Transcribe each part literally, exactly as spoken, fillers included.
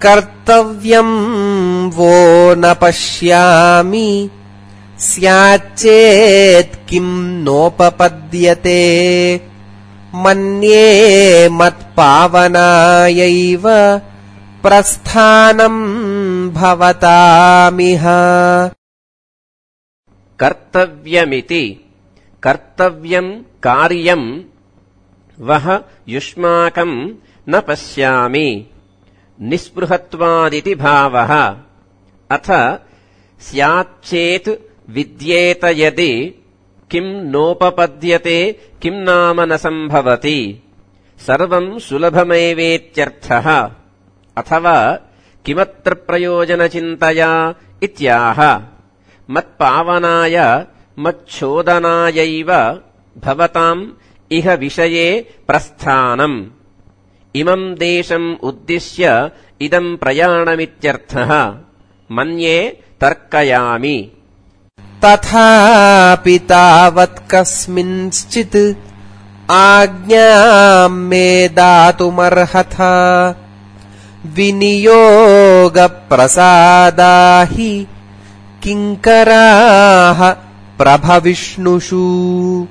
कर्तव्यं वो न पश्यामि स्याच्चेत् किं नोपपद्यते मन्ये मत्पावनायैव प्रस्थानं भवतामिह। कर्तव्यमिति कर्तव्यं कार्यं वह युष्माकं न पश्यामि निस्पृहत्वादिति भावः। अथ स्याच्चेत् विद्येत यदि किं नोपपद्यते किं नाम न सम्भवति सर्वं सुलभमेवेत्यर्थः। अथवा किमत्र प्रयोजनचिन्तया इत्याह। मत्पावनाय मच्छोदनायैव भवताम् इह विषये प्रस्थानम् इमं देशम् उद्दिश्य इदम् प्रयाणमित्यर्थः। मन्ये तर्कयामि। तथापि तावत् कस्मिंश्चित् आज्ञां मे दातुमर्हथ विनियोगप्रसादा हि किङ्कराः प्रभविष्णुषु।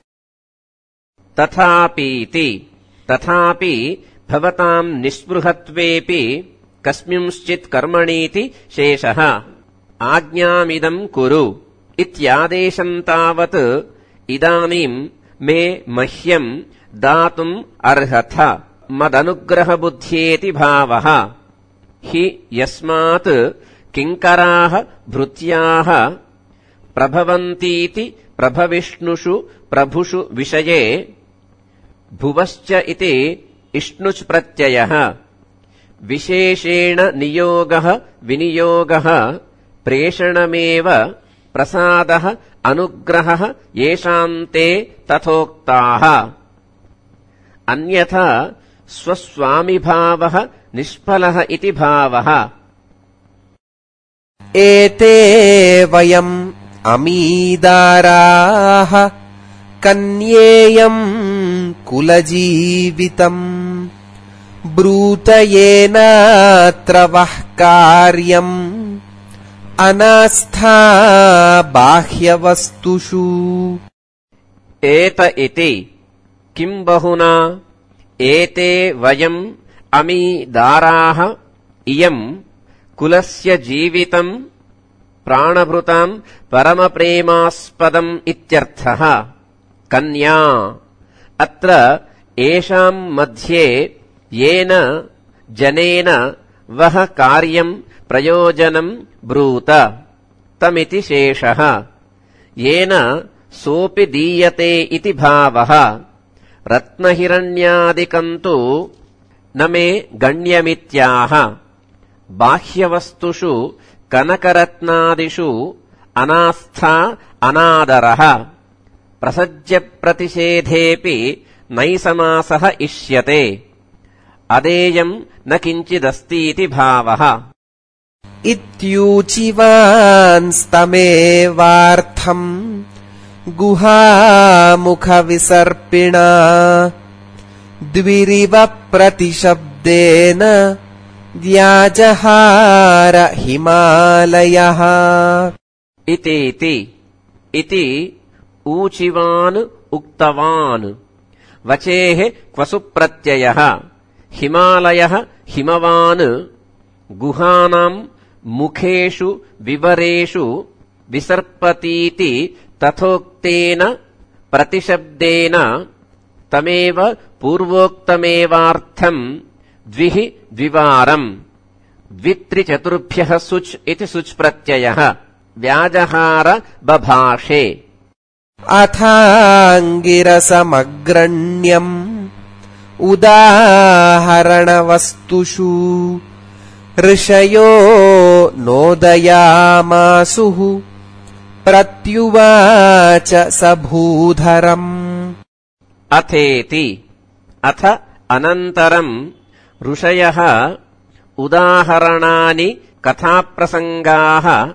तथापीति तथापि भवताम् निःस्पृहत्वेऽपि कस्मिंश्चित् कर्मणीति शेषः। आज्ञामिदम् कुरु इत्यादेशम् तावत् इदानीम् मे मह्यम् दातुम् अर्हथ मदनुग्रहबुद्ध्येति भावः। हि यस्मात् किङ्कराः भृत्याः प्रभवन्तीति प्रभविष्णुषु प्रभुषु विषये भुवश्च इति इष्णुच् प्रत्ययः। विशेषेण नियोगः विनियोगः प्रेषणमेव प्रसादः अनुग्रहः येषान्ते तथोक्ताः। अन्यथा स्वस्वामिभावः निष्फलः इति भावः। एते वयम् अमीदाराः कन्येयम् कुलजीवितम् ब्रूत येनात्र वः कार्यम् अनास्था बाह्यवस्तुषु। एत इति किम् बहुना एते वयम् अमीदाराः इयम् कुलस्य जीवितम् प्राणभृताम् परमप्रेमास्पदम् इत्यर्थः। कन्या अत्र येषाम् मध्ये येन जनेन वह कार्यम् प्रयोजनम् ब्रूत तमिति शेषः। येन सोऽपि दीयते इति भावः। रत्नहिरण्यादिकम् तु न मे गण्यमित्याह। बाह्यवस्तुषु कनकरत्नादिषु अनास्था अनादरः। प्रसज्यप्रतिषेधेऽपि नैसमासः इष्यते। अदेयम् न किञ्चिदस्तीति भावः। इत्यूचिवांस्तमेवार्थम् गुहामुखविसर्पिणा द्विरिव प्रतिशब्देन व्याजहार हिमालयः। इतीति इति ऊचिवान् उक्तवान् वचेः क्वसु प्रत्ययः। हिमालयः हिमवान् गुहानाम् मुखेषु विवरेषु विसर्पतीति तथोक्तेन प्रतिशब्देन तमेव पूर्वोक्तमेवार्थम् द्विः द्विवारम् द्वित्रिचतुर्भ्यः सुच् इति सुच् प्रत्ययः व्याजहार बभाषे। अथाङ्गिरसमग्रण्यम् उदाहरणवस्तुषु ऋषयो नोदयामासुः प्रत्युवाच स भूधरम्। अथेति अथ अनन्तरम् ऋषयः उदाहरणानि कथाप्रसङ्गाः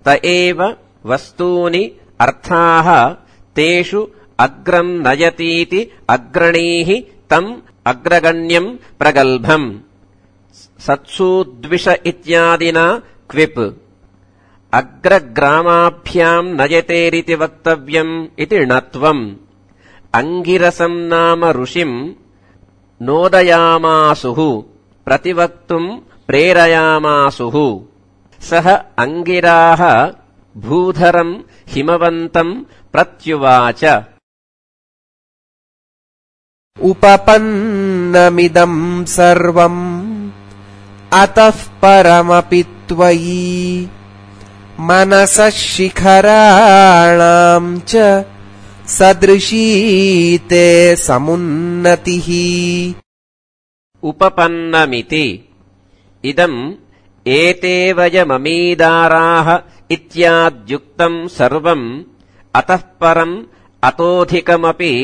त एव वस्तूनि अर्थाः तेषु अग्रम् नयतीति अग्रणीः तम् अग्रगण्यम् प्रगल्भम् सत्सूद्विष इत्यादिना क्विप् अग्रग्रामाभ्याम् नयतेरिति वक्तव्यम् इति णत्वम् अङ्गिरसम् नाम ऋषिम् नोदयामासुः प्रतिवक्तुम् प्रेरयामासुः सः अङ्गिराः भूधरम् हिमवन्तम् प्रत्युवाच उपपन्नमिदम् सर्वम् अतः परमपि त्वयि मनसः शिखराणाम् च सदृशी ते समुन्नतिः उपपन्नमिति इदम् एते वयममीदाराः इत्याद्युक्तम् सर्वम् अतः परम् अतोऽधिकमपि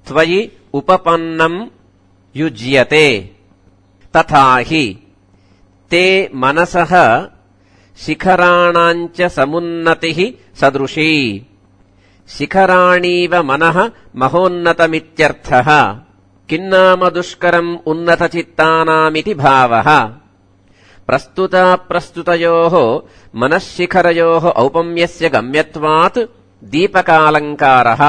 त्वयि उपपन्नम् युज्यते तथा हि ते मनसः शिखराणाम् च समुन्नतिः सदृशी शिखराणीव मनः महोन्नतमित्यर्थः किन्नाम दुष्करम् उन्नतचित्तानामिति भावः प्रस्तुताप्रस्तुतयोः मनःशिखरयोः औपम्यस्य गम्यत्वात् दीपकालङ्कारः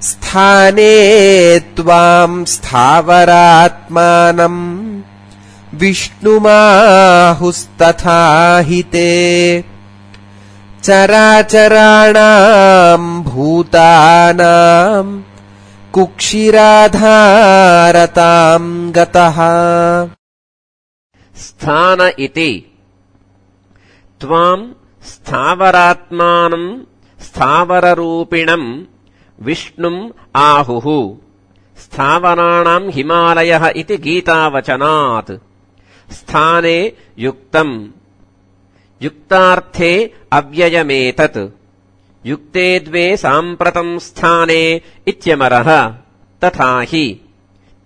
स्थाने त्वाम् स्थावरात्मानम् विष्णुमाहुस्तथा हि ते चराचराणाम् भूतानाम् कुक्षिराधारताम् गतः स्थान इति त्वाम् स्थावरात्मानम् स्थावररूपिणम् विष्णुम् आहुः स्थावराणाम् हिमालयः इति गीतावचनात् स्थाने युक्तम् युक्तार्थे अव्ययमेतत् युक्ते द्वे साम्प्रतम् स्थाने इत्यमरः तथा हि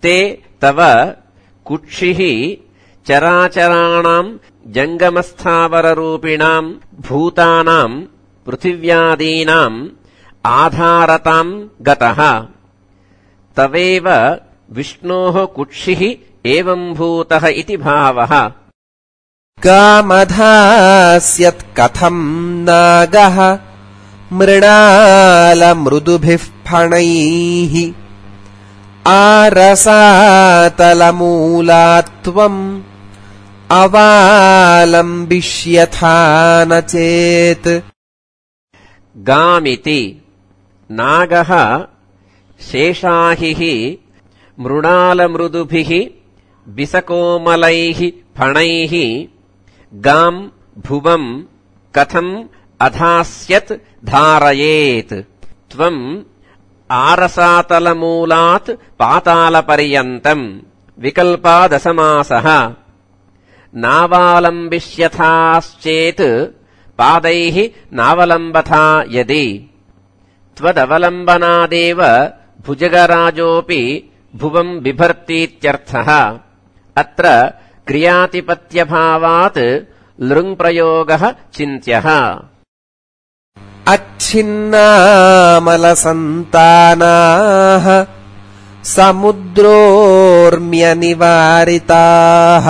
ते तव कुक्षिः चराचराणाम् जङ्गमस्थावररूपिणाम् भूतानाम् पृथिव्यादीनाम् आधारताम् गतः तवेव विष्णोः कुक्षिः एवम्भूतः इति भावः कामधास्यत् कथम् नागः मृणालमृदुभिः फणैः आरसातलमूलात्वम् अवालम्बिष्यथा न चेत् गामिति नागः शेषाहिः मृणालमृदुभिः विसकोमलैः फणैः गाम् भुवम् कथम् अधास्यत् धारयेत् त्वम् आरसातलमूलात् पातालपर्यन्तम् विकल्पादसमासः नावालम्बिष्यथाश्चेत् पादैः नावलम्बथा यदि त्वदवलम्बनादेव भुजगराजोऽपि भुवम् बिभर्तीत्यर्थः अत्र क्रियातिपत्यभावात् लृङ्प्रयोगः चिन्त्यः अच्छिन्नामलसन्तानाः समुद्रोर्म्यनिवारिताः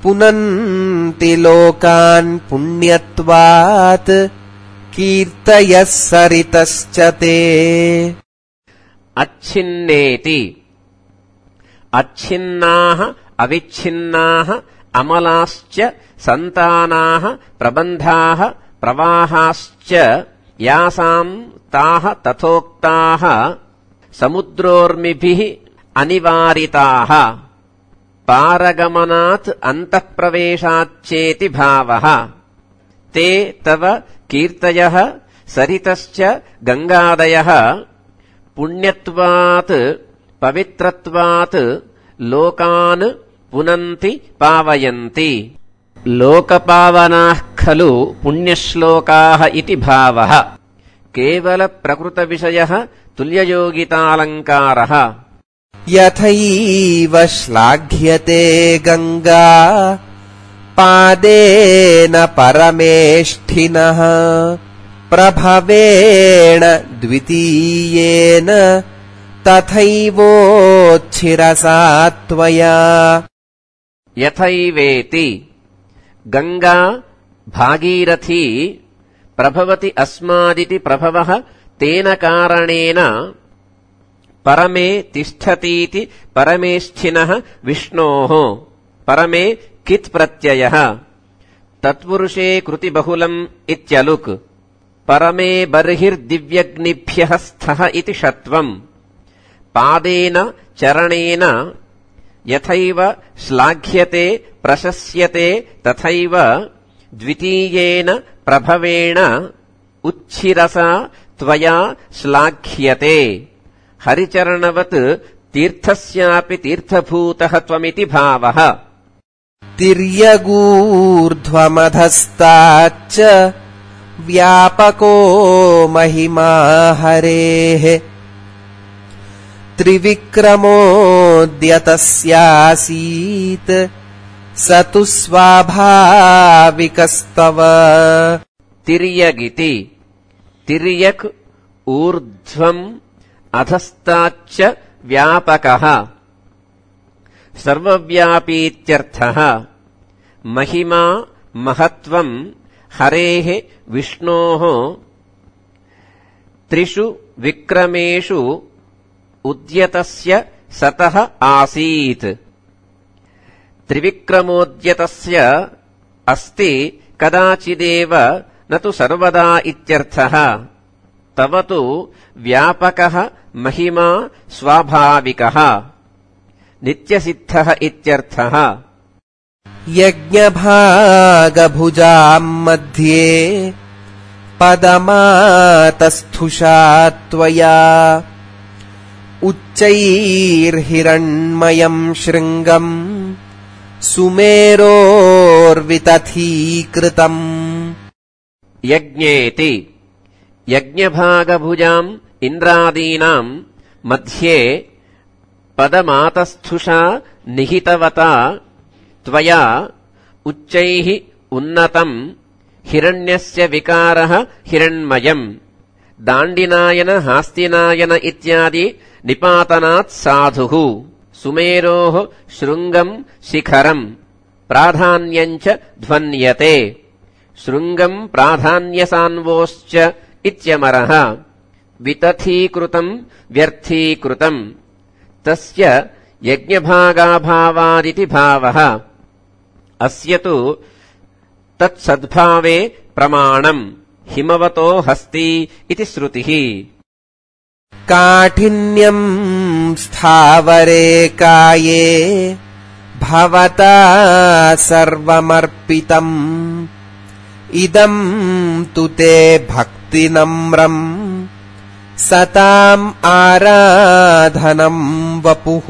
पुनन्ति लोकान् पुण्यत्वात् कीर्तयः सरितश्च ते अच्छिन्नेति अच्छिन्नाः अविच्छिन्नाः अमलाश्च सन्तानाः प्रबन्धाः प्रवाहाश्च यासाम् ताः तथोक्ताः समुद्रोर्मिभिः अनिवारिताः पारगमनात् अन्तःप्रवेशाच्चेति भावः ते तव कीर्तयः सरितश्च गङ्गादयः पुण्यत्वात् पवित्रत्वात् लोकान् पुनन्ति पावयन्ति लोकपावनाः खलु पुण्यश्लोकाः इति भावः केवलप्रकृतविषयः तुल्ययोगितालङ्कारः यथैव श्लाघ्यते गङ्गा पादेन परमेष्ठिनः प्रभवेण द्वितीयेन तथैवोच्छिरसा त्वया यथैवेति गंगा भागीरथी प्रभवति अस्मादिति प्रभवः तेन कारणेन परमे तिष्ठतीति परमेष्ठिनः विष्णोः परमे कित् प्रत्ययः तत्पुरुषे कृतिबहुलम् इत्यलुक् परमे बर्हिर्दिव्यग्निभ्यः स्थः इति षत्वम् पादेन चरणेन यथैव श्लाघ्यते प्रशस्यते तथैव द्वितीयेन प्रभवेण उच्छिरसा त्वया श्लाघ्यते हरिचरणवत् तीर्थस्यापि तीर्थभूतः त्वमिति भावः तिर्यगूर्ध्वमधस्ताच्च व्यापको महिमा हरेः त्रिविक्रमोऽद्यतस्यासीत् स तु स्वाभाविकस्तव तिर्यगिति तिर्यक् ऊर्ध्वम् अधस्ताच्च व्यापकः सर्वव्यापीत्यर्थः महिमा महत्वम् हरेः विष्णोः त्रिषु विक्रमेषु उद्यतस्य सतः आसीत् त्रिविक्रमोद्यतस्य अस्ति कदाचिदेव न तु सर्वदा इत्यर्थः तव तु व्यापकः महिमा स्वाभाविकः नित्यसिद्धः इत्यर्थः यज्ञभागभुजाम् मध्ये पदमातस्थुषा त्वया उच्चैर्हिरण्मयम् शृङ्गम् सुमेरोर्वितथीकृतम् यज्ञेति यज्ञभागभुजाम् इन्द्रादीनाम् मध्ये पदमातस्थुषा निहितवता त्वया उच्चैः उन्नतम् हिरण्यस्य विकारः हिरण्मयम् दाण्डिनायन हास्तिनायन इत्यादि निपातनात् साधुः सुमेरोः शृङ्गम् शिखरम् प्राधान्यम् च ध्वन्यते शृङ्गम् प्राधान्यसान्वोश्च इत्यमरः वितथीकृतम् व्यर्थीकृतम् तस्य यज्ञभागाभावादिति भावः अस्य तु तत्सद्भावे प्रमाणम् हिमवतो हस्ति इति श्रुतिः काठिन्यम् स्थावरे काये भवता सर्वमर्पितम् इदम् तु ते भक्तिनम्रम् सताम् आराधनम् वपुः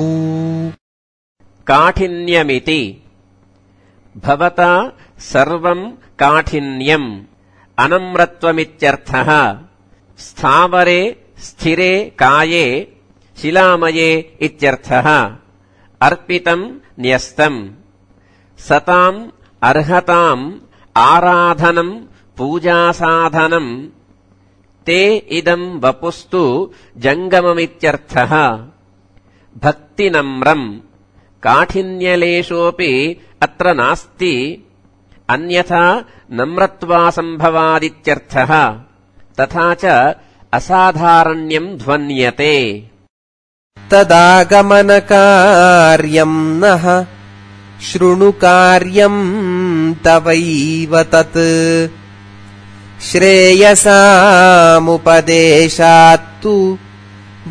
काठिन्यमिति भवता सर्वम् काठिन्यम् अनम्रत्वमित्यर्थः स्थावरे स्थिरे काये शिलामये इत्यर्थः अर्पितम् न्यस्तम् सताम् अर्हताम् आराधनम् पूजासाधनम् ते इदम् वपुस्तु जङ्गममित्यर्थः भक्तिनम्रम् काठिन्यलेशोऽपि अत्र नास्ति अन्यथा नम्रत्वासम्भवादित्यर्थः तथा च असाधारण्यम् ध्वन्यते तदागमनकार्यम् नः शृणुकार्यम् तवैव तत् श्रेयसामुपदेशात्तु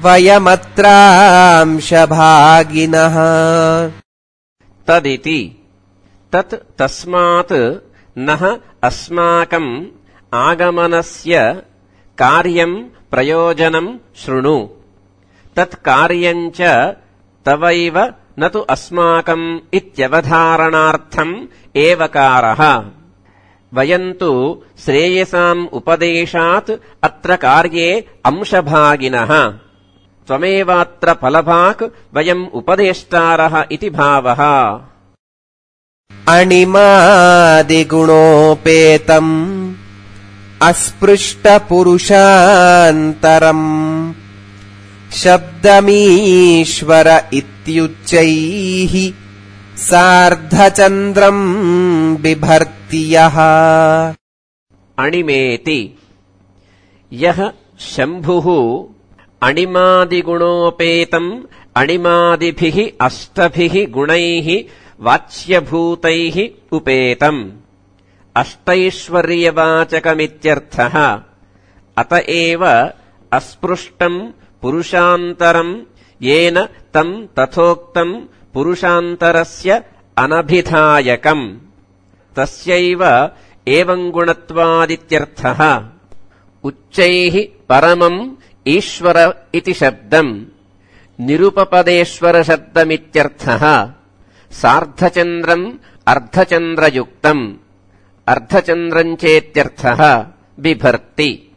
वयमत्रांशभागिनः तदिति तत् तस्मात् नः अस्माकम् आगमनस्य कार्यम् प्रयोजनम् शृणु तत्कार्यम् च तवैव न तु अस्माकम् इत्यवधारणार्थम् एवकारः वयम् तु श्रेयसाम् उपदेशात् अत्र कार्ये अंशभागिनः त्वमेवात्र फलभाक् वयम् उपदेष्टारः इति भावः अणिमादिगुणोपेतम् अस्पृष्टपुरुषान्तरम् शब्दमीश्वर इत्युच्चैः सार्धचन्द्रम् बिभर्ति यः अणिमेति यः शम्भुः अणिमादिगुणोपेतम् अणिमादिभिः अष्टभिः गुणैः वाच्यभूतैः उपेतम् अष्टैश्वर्यवाचकमित्यर्थः। अत एव अस्पृष्टम् पुरुषान्तरम् येन तम् तथोक्तम् पुरुषान्तरस्य अनभिधायकम् तस्यैव एवम् गुणत्वादित्यर्थः। उच्चैः परमम् ईश्वर इति शब्दम् निरुपपदेश्वरशब्दमित्यर्थः। सार्धचन्द्रम् अर्धचन्द्रयुक्तम् अर्धचन्द्रम् चेत्यर्थः बिभर्ति।